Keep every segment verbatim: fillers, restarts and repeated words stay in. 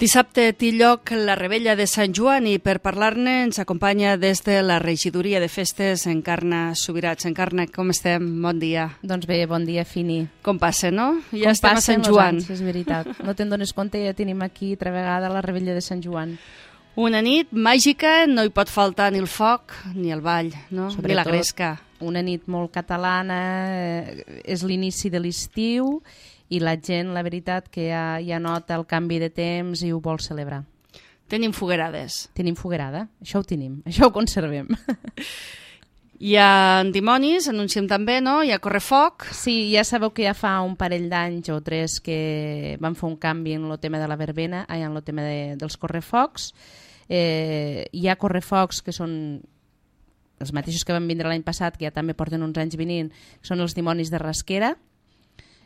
Dissabte té lloc la Revetlla de Sant Joan i per parlar-ne ens acompanya des de la regidoria de festes Encarna Subirats. Encarna, com estem? Bon dia. Doncs bé, bon dia, Fini. Com passa, no? Ja com estem a Sant Joan. Anys, és veritat. No te'n dones compte, ja tenim aquí altra vegada la Revetlla de Sant Joan. Una nit màgica, no hi pot faltar ni el foc ni el ball, no? Sobretot, ni la gresca. Una nit molt catalana, eh, és l'inici de l'estiu i la gent, la veritat, que ja, ja nota el canvi de temps i ho vol celebrar. Tenim foguerades. Tenim foguerada, això ho tenim, això ho conservem. Hi ha dimonis, anunciem també, no? Hi ha correfoc. Sí, ja sabeu que ja fa un parell d'anys o tres que van fer un canvi en el tema de la verbena, en el tema de, dels correfocs. Eh, hi ha correfocs que són els mateixos que van vindre l'any passat, que ja també porten uns anys venint, que són els dimonis de Rasquera.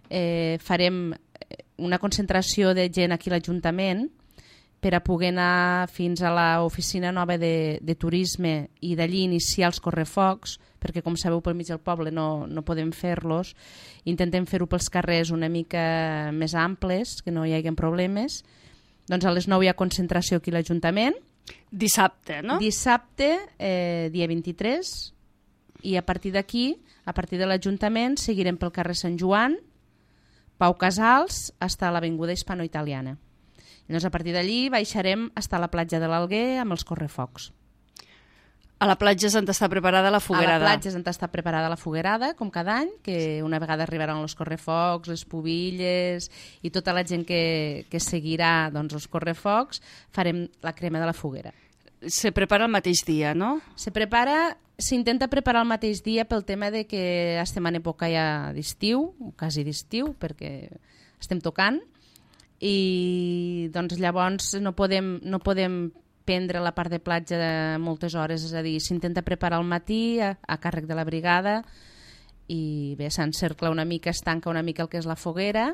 Eh, farem una concentració de gent aquí a l'Ajuntament per a poder anar fins a l'oficina nova de, de turisme i d'allí iniciar els correfocs, perquè com sabeu pel mig del poble no, no podem fer-los. Intentem fer-ho pels carrers una mica més amples, que no hi hagi problemes. Doncs a les nou hi ha concentració aquí a l'Ajuntament. Dissabte, no? Dissabte, eh, dia vint-i-tres, i a partir d'aquí, a partir de l'Ajuntament, seguirem pel carrer Sant Joan, Pau Casals, fins a l'avinguda Hispano-Italiana. I llavors, a partir d'allí baixarem fins a la platja de l'Alguer amb els correfocs. A la platja s'han d'estar preparada la foguerada. A la platja s'han d'estar preparada la foguerada, com cada any, que una vegada arribaran els correfocs, les pubilles i tota la gent que, que seguirà doncs, els correfocs, farem la crema de la foguera. Se prepara el mateix dia, no? Se prepara, s'intenta preparar el mateix dia pel tema de que estem en època ja d'estiu, quasi d'estiu, perquè estem tocant, i doncs llavors no podem, no podem prendre la part de platja de moltes hores, és a dir, s'intenta preparar al matí a, a càrrec de la brigada i bé, s'encercla una mica, es tanca una mica el que és la foguera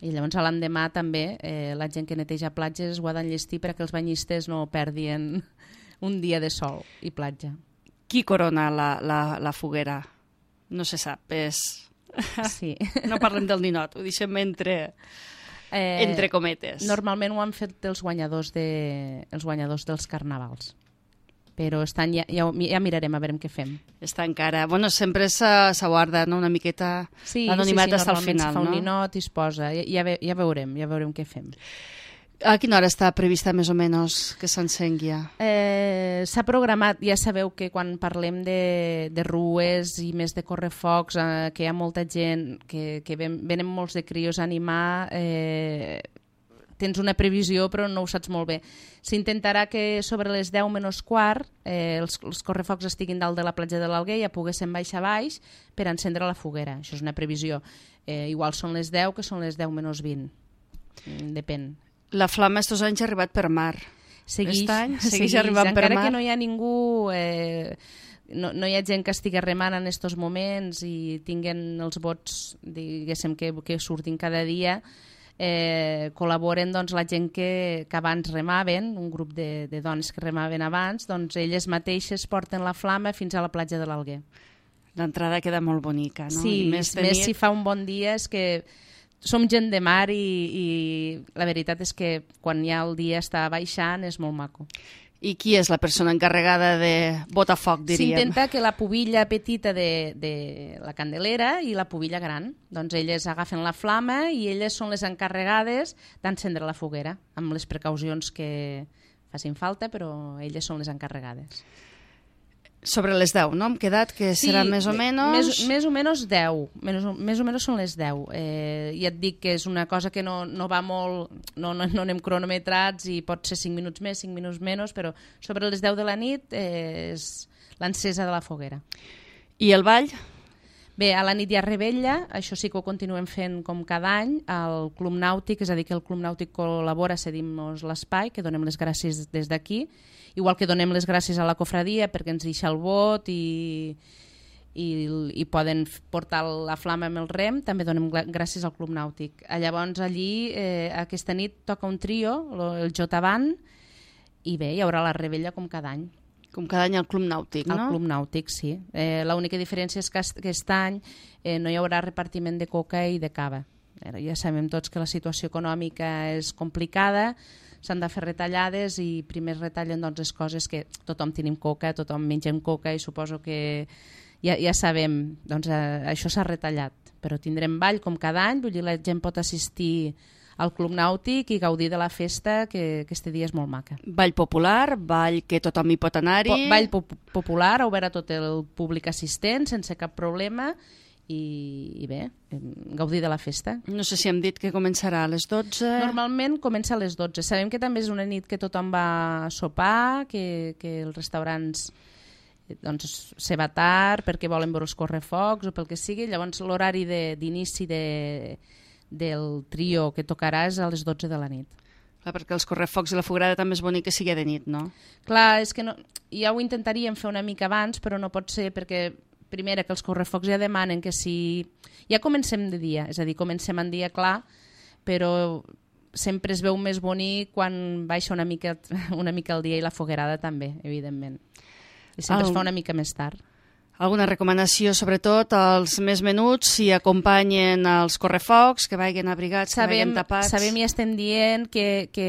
i llavors l'endemà també eh, la gent que neteja platges ho ha d'enllestir perquè els banyistes no perdien un dia de sol i platja. Qui corona la, la, la foguera? No se sap, és... Sí. No parlem del ninot, ho deixem entre... Eh, entre cometes. Normalment ho han fet els guanyadors, de, els guanyadors dels carnavals. Però estan, ja, ja, ja mirarem a veure què fem. Està encara... Bueno, sempre s'aguarda, no?, una miqueta sí, l'anonimat sí, sí, hasta el final, no? Normalment se fa un no? ninot i es posa. Ja, ja, ve, ja veurem, ja veurem què fem. A quina hora està prevista més o menys que s'encengui? Eh, S'ha programat, ja sabeu que quan parlem de, de rues i més de correfocs, eh, que hi ha molta gent, que, que ven, venen molts de crios a animar, eh, tens una previsió però no ho saps molt bé. S'intentarà que sobre les deu menys quart eh, els, els correfocs estiguin dalt de la platja de l'Alguer i ja poguéssim baixar baix per encendre la foguera. Això és una previsió. Eh, igual són les deu que són les deu menys vint. Depèn. La flama estos anys ha arribat per mar. Seguix, any segueix, seguix arribant per mar. Encara que no hi ha ningú, eh, no, no hi ha gent que estigui remant en aquests moments i tinguen els bots, diguéssim, que, que surtin cada dia, eh, col·laboren doncs, la gent que, que abans remaven, un grup de, de dones que remaven abans, doncs elles mateixes porten la flama fins a la platja de l'Alguer. L'entrada queda molt bonica, no? Sí, I més, més si fa un bon dia, és que som gent de mar i, i la veritat és que quan ja el dia està baixant és molt maco. I qui és la persona encarregada de botar foc, diríem? S'intenta que la pubilla petita de, de la candelera i la pubilla gran, doncs elles agafen la flama i elles són les encarregades d'encendre la foguera, amb les precaucions que facin falta, però elles són les encarregades. Sobre les deu, no? Hem quedat que serà sí, més o menys... Més, més o menys deu. Més, més o menys són les deu. Eh, ja et dic que és una cosa que no, no va molt... No, no, no anem cronometrats i pot ser cinc minuts més, cinc minuts menys, però sobre les deu de la nit eh, és l'encesa de la foguera. I el ball? Bé, a la nit hi ha Revetlla, això sí que ho continuem fent com cada any, al Club Nàutic, és a dir, que el Club Nàutic col·labora, cedim-nos l'espai, que donem les gràcies des d'aquí, igual que donem les gràcies a la cofradia perquè ens deixa el vot i, i, i poden portar la flama amb el rem, també donem gràcies al Club Nàutic. Llavors allí, eh, aquesta nit toca un trio, el Jotavan, i bé, hi haurà la Revetlla com cada any. Com cada any al Club Nàutic, no? Al Club Nàutic, sí. Eh, L'única diferència és que aquest any eh, no hi haurà repartiment de coca i de cava. Ja sabem tots que la situació econòmica és complicada, s'han de fer retallades i primer retallen doncs, les coses que tothom tenim coca, tothom mengem coca i suposo que ja, ja sabem, doncs eh, això s'ha retallat, però tindrem ball com cada any, vull dir, la gent pot assistir al Club Nàutic i gaudir de la festa, que aquest dia és molt maca. Ball popular, ball que tothom hi pot anar-hi. Po ball pop popular, obert a tot el públic assistent, sense cap problema, i, i bé, gaudir de la festa. No sé si hem dit que començarà a les dotze. Normalment comença a les dotze. Sabem que també és una nit que tothom va a sopar, que, que els restaurants doncs, se va tard perquè volen veure els correfocs o pel que sigui. Llavors l'horari d'inici de, de, del trio que tocarà és a les dotze de la nit. Clar, perquè els correfocs i la foguerada també és bonic que sigui de nit, no? Clar, és que no, ja ho intentaríem fer una mica abans, però no pot ser perquè primera, que els correfocs ja demanen que si... Ja comencem de dia, és a dir, comencem en dia clar, però sempre es veu més bonic quan baixa una mica, una mica el dia i la foguerada també, evidentment. I sempre el... es fa una mica més tard. Alguna recomanació, sobretot, als més menuts, si acompanyen els correfocs, que vagin abrigats, sabem, que vagin tapats... Sabem i estem dient que, que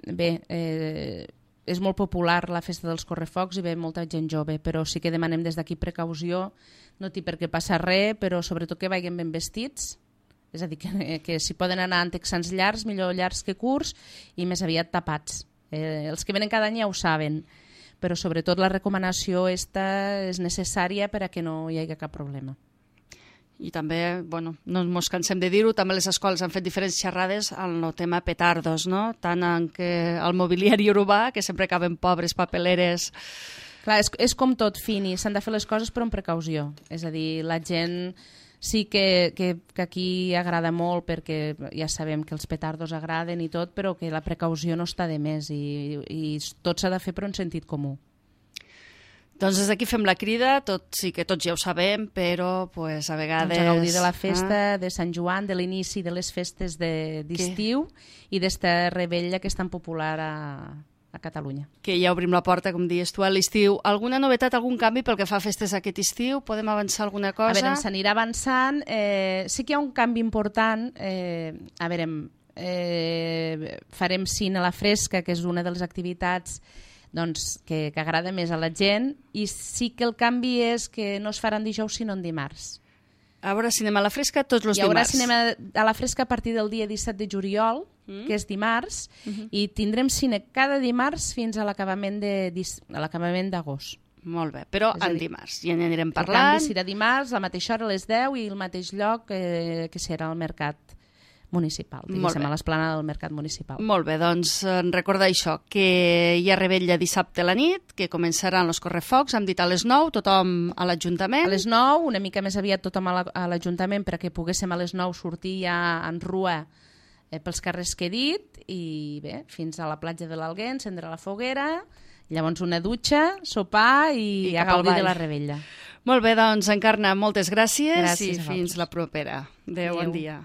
bé... Eh, és molt popular la festa dels correfocs i ve molta gent jove, però sí que demanem des d'aquí precaució, no té per què passar res, però sobretot que vagin ben vestits, és a dir, que, que si poden anar en texans llargs, millor llargs que curts, i més aviat tapats. Eh, els que venen cada any ja ho saben, però sobretot la recomanació esta és necessària per a que no hi hagi cap problema. I també, bueno, no ens cansem de dir-ho, també les escoles han fet diferents xerrades al no tema petardos, no? Tant en que el mobiliari urbà, que sempre acaben pobres papeleres... Clar, és, és com tot, Fini, s'han de fer les coses però amb precaució. És a dir, la gent sí que, que, que aquí agrada molt perquè ja sabem que els petardos agraden i tot, però que la precaució no està de més i, i tot s'ha de fer per un sentit comú. Doncs des d'aquí fem la crida, tot, sí que tots ja ho sabem, però pues, a vegades... Doncs a gaudir de la festa ah. de Sant Joan, de l'inici de les festes d'estiu i d'esta rebella que és tan popular a, a Catalunya. Que ja obrim la porta, com dius tu, a l'estiu. Alguna novetat, algun canvi pel que fa a festes aquest estiu? Podem avançar alguna cosa? A veure, s'anirà avançant. Eh, sí que hi ha un canvi important. Eh, a veure, eh, farem cine a la fresca, que és una de les activitats doncs, que, que agrada més a la gent, i sí que el canvi és que no es faran dijous sinó en dimarts. A veure, cinema a la fresca tots els dimarts. Hi haurà dimarts. Cinema a la fresca a partir del dia disset de juliol, mm. que és dimarts, mm -hmm. i tindrem cine cada dimarts fins a l'acabament d'agost. Molt bé, però en dimarts, i en anirem parlant. El canvi serà dimarts, a la mateixa hora a les deu i el mateix lloc eh, que serà el mercat municipal, diguéssim, a l'esplanada del mercat municipal. Molt bé, doncs recordar això, que hi ha rebella dissabte a la nit, que començaran els correfocs, hem dit a les nou, tothom a l'Ajuntament. A les nou, una mica més aviat tothom a l'Ajuntament perquè poguéssim a les nou sortir ja en rua eh, pels carrers que he dit, i bé, fins a la platja de l'Alguer, encendre la foguera, llavors una dutxa, sopar i, I a gaudir de la rebella. Molt bé, doncs, Encarna, moltes gràcies, gràcies i fins la propera. Adéu, bon dia.